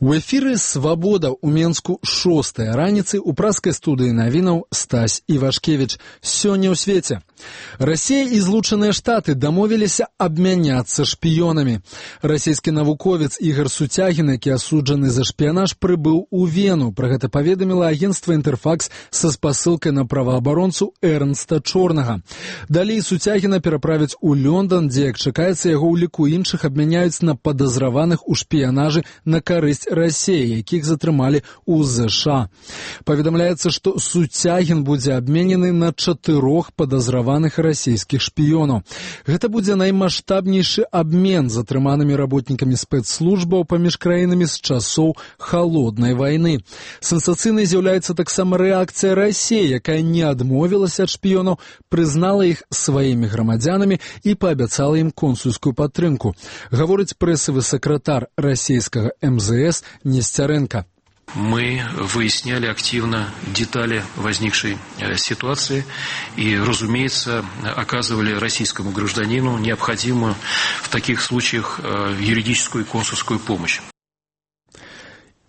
У эфіры «Свабода» ў Менску 6-я раніцы ў праскай студыі навінаў Стась Івашкевіч. Сёння ў свеце. Расія і Злучаныя Штаты дамовіліся абмяняцца шпіёнамі. Расійскі навуковец Ігор Суцягін, які асуджаны за шпіянаж, прыбыў у Вену. Пра гэта паведаміла агенцтва «Інтэрфакс» са спасылкай на праваабаронцу Эрнста Чорнага. Далей Суцягіна пераправяць у Лондон, дзе, як чакаецца, яго ў ліку іншых абмяняюць на падазраваных у шпіянажы на карысць Расіі, якіх затрымалі ў ЗША. Паведамляецца, што Суцягін будзе абменены на 4 падазраваных расійскіх шпіёнаў. Гэта будзе наймаштабнейшы абмен затрыманымі работнікамі спецслужбаў паміж краінамі з часоў халоднай вайны. Сенсацыйнай з'яўляецца таксама рэакцыя Расіі, якая не адмовілася ад шпіёнаў, прызнала іх сваімі грамадзянамі і паабяцала ім консульскую падтрымку. Гаворыць прэсавы сакратар расійскага МЗС Нестеренко. Мы выясняли активно детали возникшей ситуации и, разумеется, оказывали российскому гражданину необходимую в таких случаях юридическую и консульскую помощь.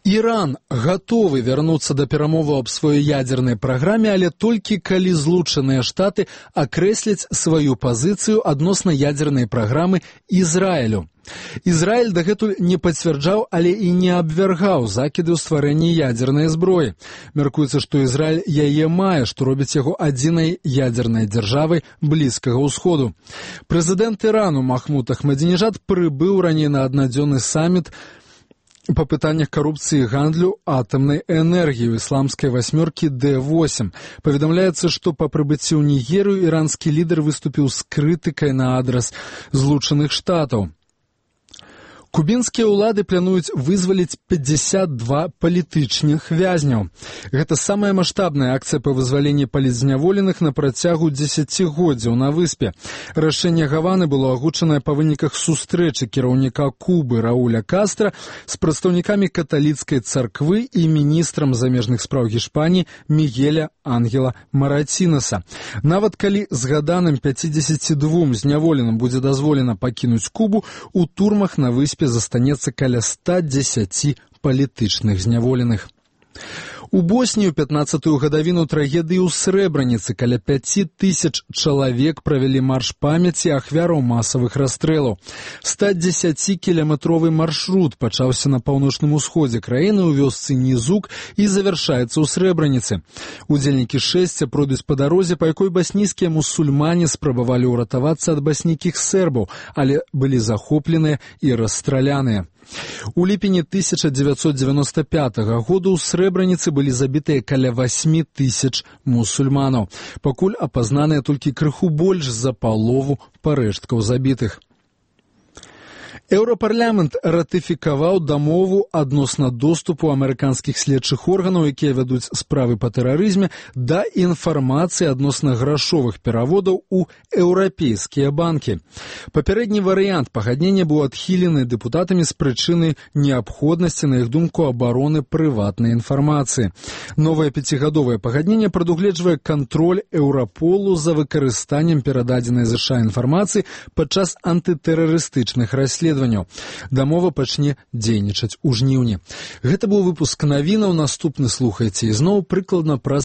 Іран гатовы вярнуцца да перамоваў аб сваёй ядзернай праграме, але толькі калі Злучаныя Штаты акрэсляць сваю пазіцыю адносна ядзернай праграмы Ізраілю. Ізраіль дагэтуль не пацвярджаў, але і не абвяргаў закіды ў стварэнні ядзернай зброі. Мяркуецца, што Ізраіль яе мае, што робіць яго адзінай ядзернай дзяржавай Блізкага ўсходу. Прэзідэнт Ірану Махмуд Ахмадзінежад прыбыў раней на аднадзённы саміт па пытаннях карупцыі і гандлю атамнай энергіі ў ісламскай васьмёркі Д8. Паведамляецца, што па прыбыцці ў Нігерыю іранскі лідар выступіў з крытыкай на адрас Злучаных Штатаў. Кубінскія ўлады плануюць вызваліць 52 палітычных вязняў. Гэта самая маштабная акцыя па вызваленні палітзняволеных на працягу дзесяцігоддзяў на выспе. Рашэнне Гаваны было агучанае па выніках сустрэчы кіраўніка Кубы Рауля Кастра з прадстаўнікамі каталіцкай царквы і міністрам замежных спраў Гішпаніі Мігеля Ангела Маратінаса. Нават калі згаданым 52 зняволеным будзе дазволена пакінуць Кубу, у турмах на выспе застанецца каля 110 палітычных зняволеных. У Боснію 15-ю гадавіну трагедыі ў Срэбраніцы каля 5000 чалавек правялі марш памяці ахвяраў масавых расстрэлаў. 110-кіляметровы маршрут пачаўся на паўночным усходзе краіны ў вёсцы Нізук і завяршаецца ў Срэбраніцы. Удзельнікі шэсця пройдуць па дарозе, па якой баснійскія мусульмане спрабавалі ўратавацца ад баснійскіх сербаў, але былі захопленыя і расстраляныя. У ліпені 1995 году ў Срэбраніцы былі забітыя каля 8000 мусульманаў. Пакуль апазнаныя толькі крыху больш за палову парэшткаў забітых. Еўрапарламент ратыфікаваў дамову адносна доступу амерыканскіх следчых органаў, якія вядуць справы па тэрарызме, да інфармацыі адносна грашовых пераводаў у еўрапейскія банкі. Папярэдні варыянт пагаднення быў адхілены дэпутатамі з прычыны неабходнасці, на іх думку, абароны прыватнай інфармацыі. Новае 5гадовае пагадненне прадугледжвае кантроль Еўраполу за выкарыстаннем перададзенай ЗША інфармацыі падчас антытэрарыстычных расследаванняў. Дамова пачне дзейнічаць у жніўні. Гэта быў выпуск навінаў. Наступны слухайце ізноў прыкладна праз